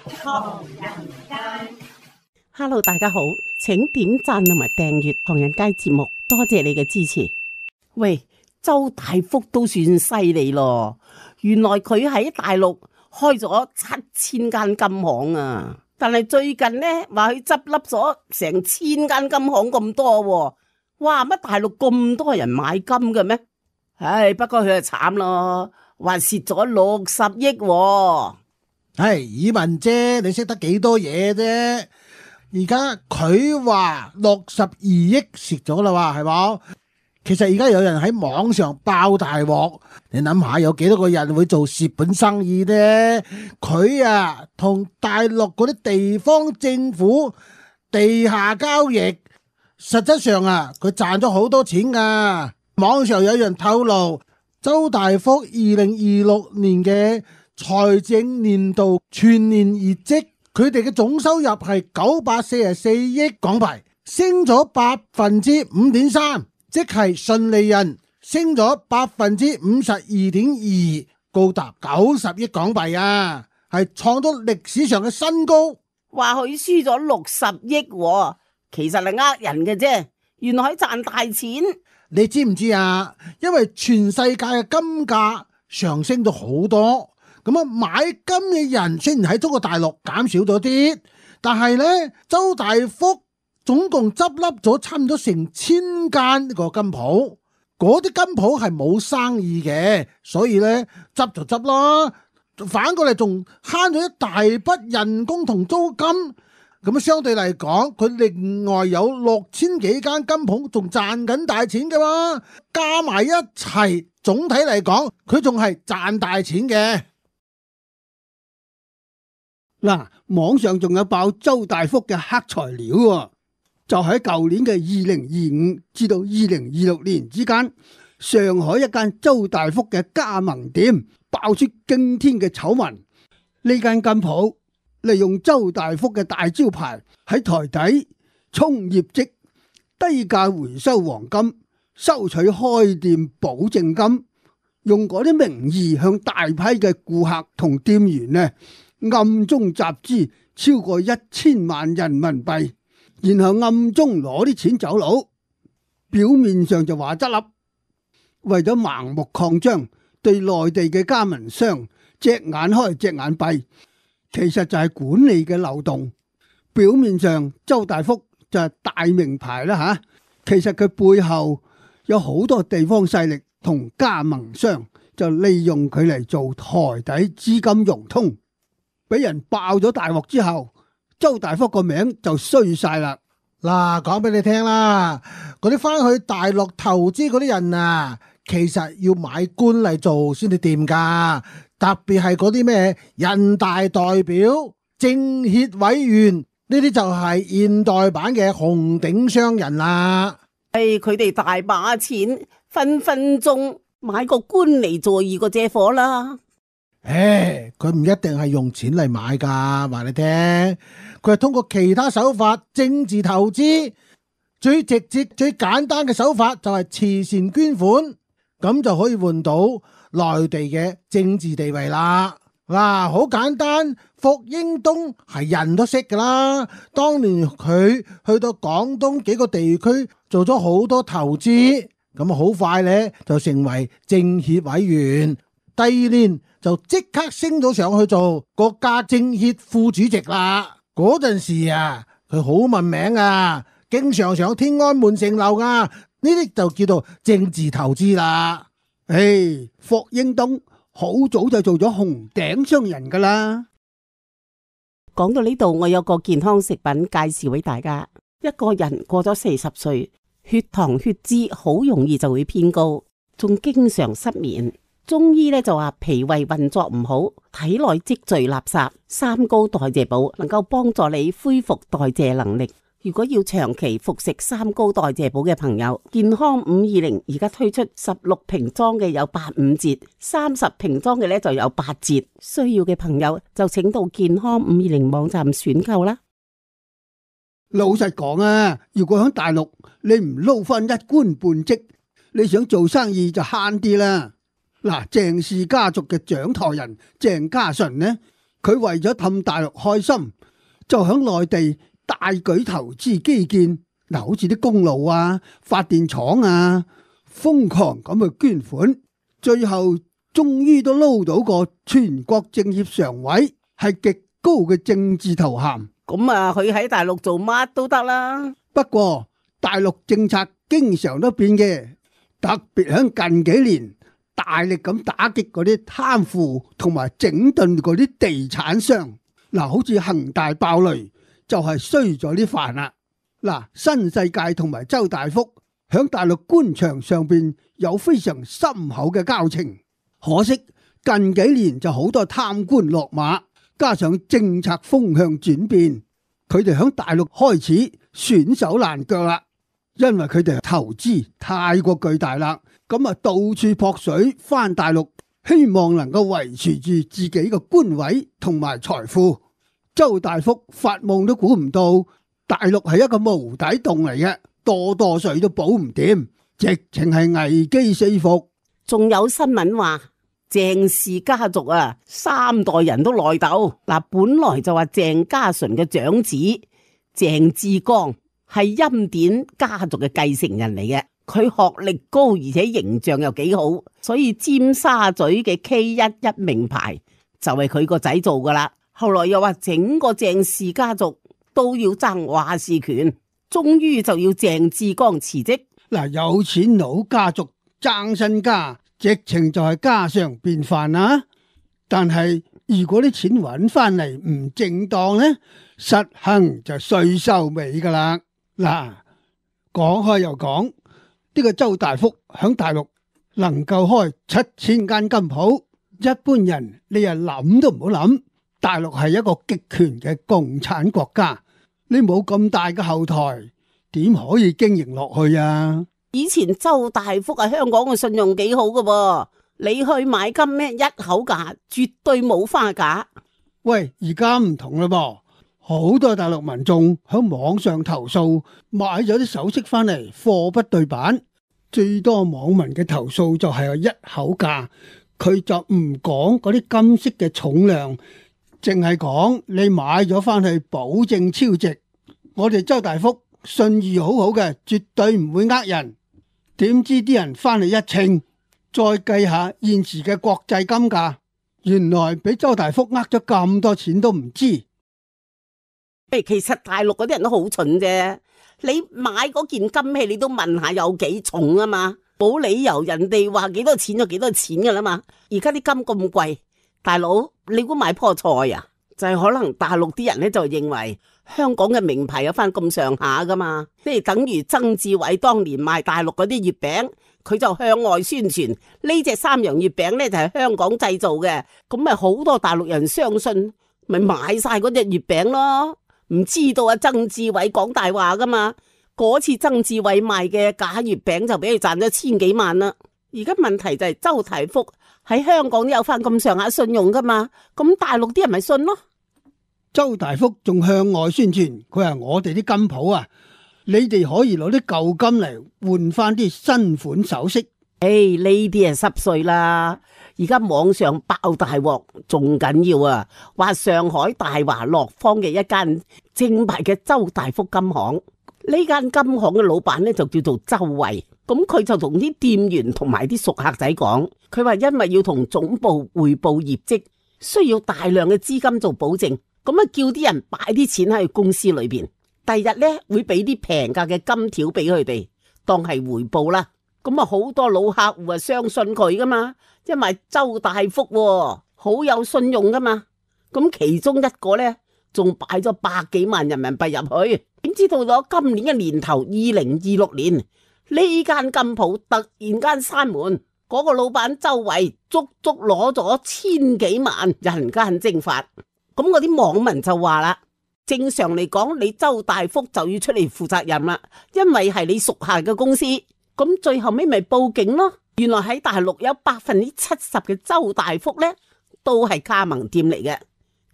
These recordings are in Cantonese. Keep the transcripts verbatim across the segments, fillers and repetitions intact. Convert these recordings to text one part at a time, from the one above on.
唐人街。Hello， 大家好，請點讚同埋訂閱唐人街節目，多謝你嘅支持。喂，周大福都算犀利咯，原來佢喺大陸開咗七千間金行啊！但係最近呢，話佢執笠咗成千間金行咁多喎。哇！乜大陸咁多人買金嘅咩？唉，不過佢就慘咯，話蝕咗六十億喎。唉，以文姐，你識得幾多嘢啫？而家佢話六十二億蝕咗啦，話係冇？其實而家有人喺網上爆大鑊，你諗下有幾多個人會做蝕本生意呢？佢啊同大陸嗰啲地方政府地下交易，實質上啊佢賺咗好多錢噶。網上有人透露，周大福二零二六年嘅財政年度全年業績，佢哋嘅總收入係九百四十四億港幣，升咗百分之五點三。即係純利潤升咗百分之五十二點二，高達九十億港幣啊，係創咗歷史上嘅新高。話佢輸咗六十億喎，其實係呃人嘅啫，原來係賺大錢。你知唔知啊？因為全世界嘅金價上升咗好多，咁啊買金嘅人雖然喺中國大陸減少咗啲，但係呢，周大福總共執笠咗差唔多成千間個金鋪，嗰啲金鋪係冇生意嘅，所以呢，執就執啦，反過嚟仲慳咗一大筆人工同租金，咁相對嚟講，佢另外有六千幾間金鋪仲賺緊大錢嘅嘛，加埋一齊，總體嚟講，佢仲係賺大錢嘅。嗱，網上仲有爆周大福嘅黑材料喎。就喺舊年嘅二零二五至到二零二六年之間，上海一間周大福嘅加盟店爆出驚天嘅醜聞。呢間金鋪利用周大福嘅大招牌喺台底衝業績，低價回收黃金，收取開店保證金，用嗰啲名義向大批嘅顧客同店員呢暗中集資超過一千萬人民幣。然後暗中攞啲錢走佬，表面上就話執笠，為咗盲目擴張，對內地嘅加盟商隻眼開隻眼閉，其實就係管理嘅漏洞。表面上周大福就係大名牌啦吓，其實佢背後有好多地方勢力同加盟商就利用佢嚟做台底資金融通，俾人爆咗大鑊之後，周大福個名就衰晒啦。嗱，講俾你聽啦，嗰啲翻去大陸投資嗰啲人啊，其實要買官嚟做先至掂噶，特別係嗰啲咩人大代表、政協委員呢啲就係現代版嘅紅頂商人啦。誒，佢哋大把錢，分分鐘買個官嚟做二個借火啦。誒，佢唔一定係用錢嚟買噶，話你聽，佢係通過其他手法政治投資，最直接、最簡單嘅手法就係慈善捐款，咁就可以換到內地嘅政治地位啦。嗱，好簡單，霍英東係人都識噶啦，當年佢去到廣東幾個地區做咗好多投資，咁好快呢就成為政協委員，第二年就即刻升咗上去做國家政協副主席啦。嗰陣時啊，佢好聞名啊，經常上天安門城樓啊，呢啲就叫做政治投資啦。誒，霍英東好早就做咗紅頂商人噶啦。講到呢度，我有個健康食品介紹俾大家。一個人過咗四十歲，血糖血脂好容易就會偏高，仲經常失眠。中醫咧就話脾胃運作唔好，體內積聚垃圾，三高代謝寶能夠幫助你恢復代謝能力。如果要長期服食三高代謝寶嘅朋友，健康五二零而家推出十六瓶裝嘅有八五折，三十瓶裝嘅咧就有八折。需要嘅朋友就請到健康五二零網站選購啦。老實講啊，如果喺大陸你唔撈翻一官半職，你想做生意就慳啲啦。嗱，鄭氏家族嘅掌舵人鄭家純呢，佢為咗氹大陸開心，就響內地大舉投資基建，嗱，好似啲公路啊、發電廠啊，瘋狂咁去捐款，最後終於都撈到個全國政協常委，係極高嘅政治頭銜。咁啊，佢喺大陸做乜都得啦。不過大陸政策經常都變嘅，特別響近幾年大力咁打擊嗰啲貪腐同埋整頓嗰啲地產商。嗱，好似恒大爆雷就係衰咗啲飯啦。嗱，新世界同埋周大福響大陸官場上邊有非常深厚嘅交情，可惜近幾年就好多貪官落馬，加上政策風向轉變，佢哋響大陸開始損手爛腳啦。因為佢哋投資太過巨大啦，咁啊到處撲水返大陸，希望能夠維持住自己嘅官位同埋財富。周大福發夢都估唔到，大陸係一個無底洞嚟嘅，多多水都補唔掂，直情係危機四伏。仲有新聞話鄭氏家族啊，三代人都內鬥。嗱，本來就話鄭家純嘅長子鄭志剛係欽點家族嘅繼承人嚟嘅，佢學歷高而且形象又幾好，所以尖沙咀嘅 K 一一名牌就係佢個仔做噶啦。後來又話整個鄭氏家族都要爭話事權，終於就要鄭志剛辭職。嗱，有錢佬家族爭身家，直情就係家常便飯啦。但係如果啲錢揾翻嚟唔正當呢，實行就稅收尾噶啦。嗱，講開又講，呢個周大福響大陸能夠開七千間金鋪，一般人你又諗都唔好諗。大陸係一個極權嘅共產國家，你冇咁大嘅後台，點可以經營落去啊？以前周大福係香港嘅信用幾好噶噃，你去買金咩一口價，絕對冇花價。喂，而家唔同啦噃，好多大陸民眾喺網上投訴買咗啲首飾翻嚟貨不對版，最多網民嘅投訴就係一口價，佢就唔講嗰啲金飾嘅重量。淨係講你買咗翻去保證超值，我哋周大福信譽好好嘅，絕對唔會呃人。點知啲人翻嚟一稱，再計下現時嘅國際金價，原來俾周大福呃咗咁多錢都唔知。誒，其實大陸嗰啲人都好蠢啫，你買嗰件金器你都問下有幾重啊嘛，冇理由人哋話幾多錢就幾多錢噶啦嘛。而家啲金咁貴。大佬，你估買棵菜啊？就係、是、可能大陸啲人咧就認為香港嘅名牌有翻咁上下噶嘛，即係等於曾志偉當年賣大陸嗰啲月餅，佢就向外宣傳呢隻三洋月餅咧就係香港製造嘅，咁咪好多大陸人相信，咪買晒嗰隻月餅咯。唔知道啊，曾志偉講大話噶嘛？嗰次曾志偉賣嘅假月餅就俾佢賺咗千幾萬啦。而家問題就係周大福喺香港都有翻咁上下信用噶嘛，咁大陸啲人咪信咯。周大福仲向外宣傳，佢話我哋啲金鋪啊，你哋可以攞啲舊金嚟換翻啲新款首飾。誒，呢啲係濕碎啦。而家網上爆大鑊，仲緊要啊！話上海大華樂坊嘅一間正牌嘅周大福金行，呢間金行嘅老闆咧就叫做周慧。咁佢就同啲店員同埋啲熟客仔講，佢話因為要同總部匯報業績，需要大量嘅資金做保證，咁啊叫啲人擺啲錢喺公司裏邊，第日咧會俾啲平價嘅金條俾佢哋當係回報啦。咁啊好多老客戶啊相信佢噶嘛，因為周大福喎，好有信用噶嘛。咁其中一個咧仲擺咗百幾萬人民幣入去，點知道咗今年嘅年頭二零二六年。呢間金鋪突然間閂門，嗰、那個老闆周圍足足攞咗千幾萬，人間蒸發。咁嗰啲網民就話啦，正常嚟講，你周大福就要出嚟負責任啦，因為係你屬下嘅公司。咁最後尾咪報警咯。原來喺大陸有百分之七十嘅周大福呢都係加盟店嚟嘅。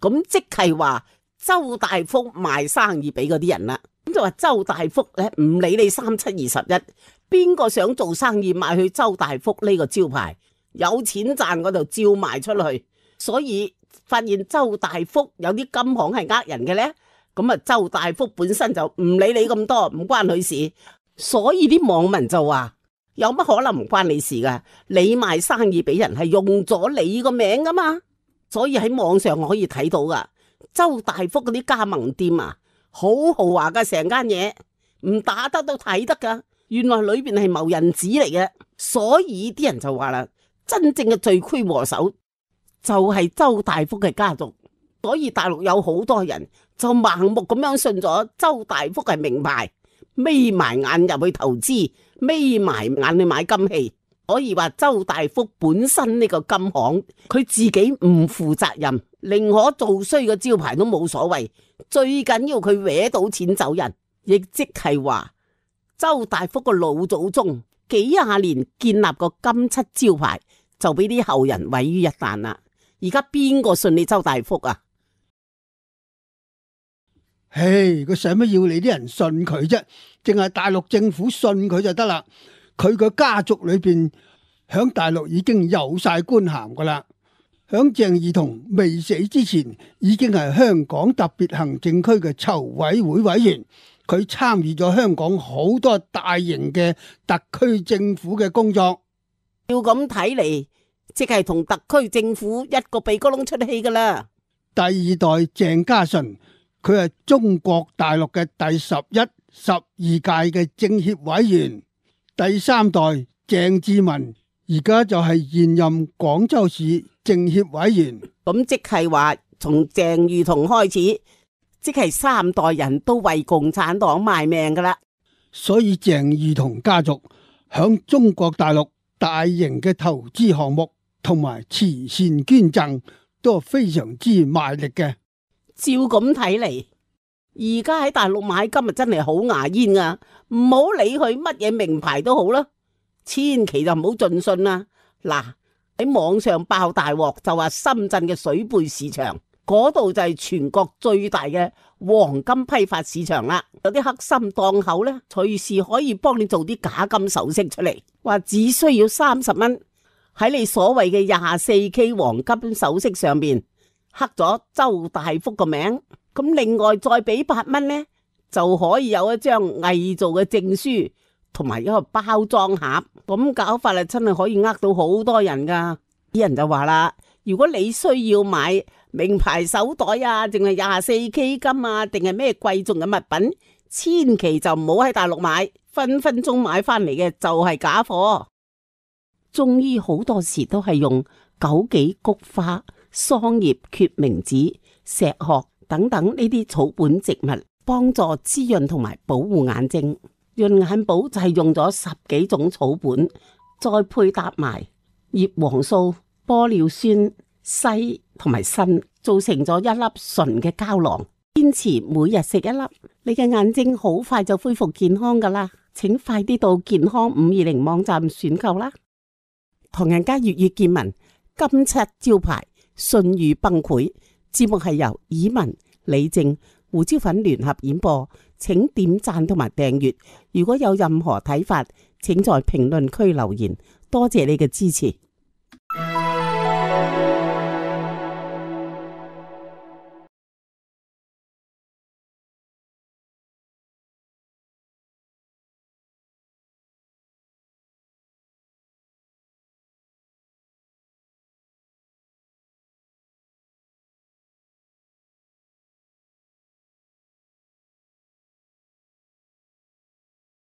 咁即係話周大福賣生意俾嗰啲人啦。咁就話周大福咧唔理你三七二十一，邊個想做生意賣去周大福呢個招牌，有錢賺我就照賣出去。所以發現周大福有啲金行係呃人嘅呢？咁啊，周大福本身就唔理你咁多，唔關佢事，所以啲網民就話有乜可能唔關你事噶？你賣生意俾人係用咗你個名噶嘛，所以喺網上我可以睇到噶，周大福嗰啲加盟店啊，好豪華噶，成間嘢唔打得都睇得噶，原來裏邊係謀人子嚟嘅，所以啲人就話啦，真正嘅罪魁禍首就係周大福嘅家族，所以大陸有好多人就盲目咁樣信咗周大福係名牌，眯埋眼入去投資，眯埋眼去買金器。可以話周大福本身呢個金行，佢自己唔負責任，寧可做衰個招牌都冇所謂，最緊要佢搲到錢走人，亦即係話周大福個老祖宗幾廿年建立個金漆招牌，就俾啲後人毀於一旦啦。而家邊個信你周大福啊？唉，佢使乜要你啲人信佢啫？淨係大陸政府信佢就得啦。佢個家族裏邊響大陸已經有晒官銜噶啦。響鄭裕彤未死之前，已經係香港特別行政區嘅籌委會委員。佢參與咗香港好多大型嘅特區政府嘅工作。要咁睇嚟，即係同特區政府一個鼻哥窿出氣噶啦。第二代鄭家純，佢係中國大陸嘅第十一、十二屆嘅政協委員。第三代鄭志文，而家就係現任廣州市政協委員。咁即係話，從鄭裕彤開始，即係三代人都為共產黨賣命噶啦。所以鄭裕彤家族響中國大陸大型嘅投資項目同埋慈善捐贈都係非常之賣力嘅。照咁睇嚟，而家喺大陸買金啊，真係好牙煙啊！唔好理佢乜嘢名牌都好啦，千祈就唔好盡信啦。嗱，喺網上爆大鑊，就話深圳嘅水貝市場嗰度就係全國最大嘅黃金批發市場啦。有啲黑心檔口呢，隨時可以幫你做啲假金首飾出嚟，話只需要三十蚊喺你所謂嘅廿四 K 黃金首飾上面刻咗周大福個名，咁另外再俾八蚊呢，就可以有一張偽造嘅證書同埋一個包裝盒。咁搞法啊，真係可以呃到好多人噶。啲人就話啦，如果你需要買名牌手袋啊，定係廿四 K 金啊，定係咩貴重嘅物品，千祈就唔好喺大陸買，分分鐘買翻嚟嘅就係假貨。中醫好多時都係用枸杞、菊花、桑葉、決明子、石殼等等呢啲草本植物，幫助滋潤同埋保護眼睛。潤眼寶就係用咗十幾種草本，再配搭埋葉黃素、玻尿酸、硒同埋鋅，做成咗一粒純嘅膠囊。堅持每日食一粒，你嘅眼睛好快就恢復健康噶啦！請快啲到健康五二零網站選購啦！唐人街粵語見聞，金漆招牌，信譽崩潰。節目係由以文、李正、胡椒粉聯合演播，請點讚同埋訂閱。如果有任何睇法，請在評論區留言。多謝你嘅支持。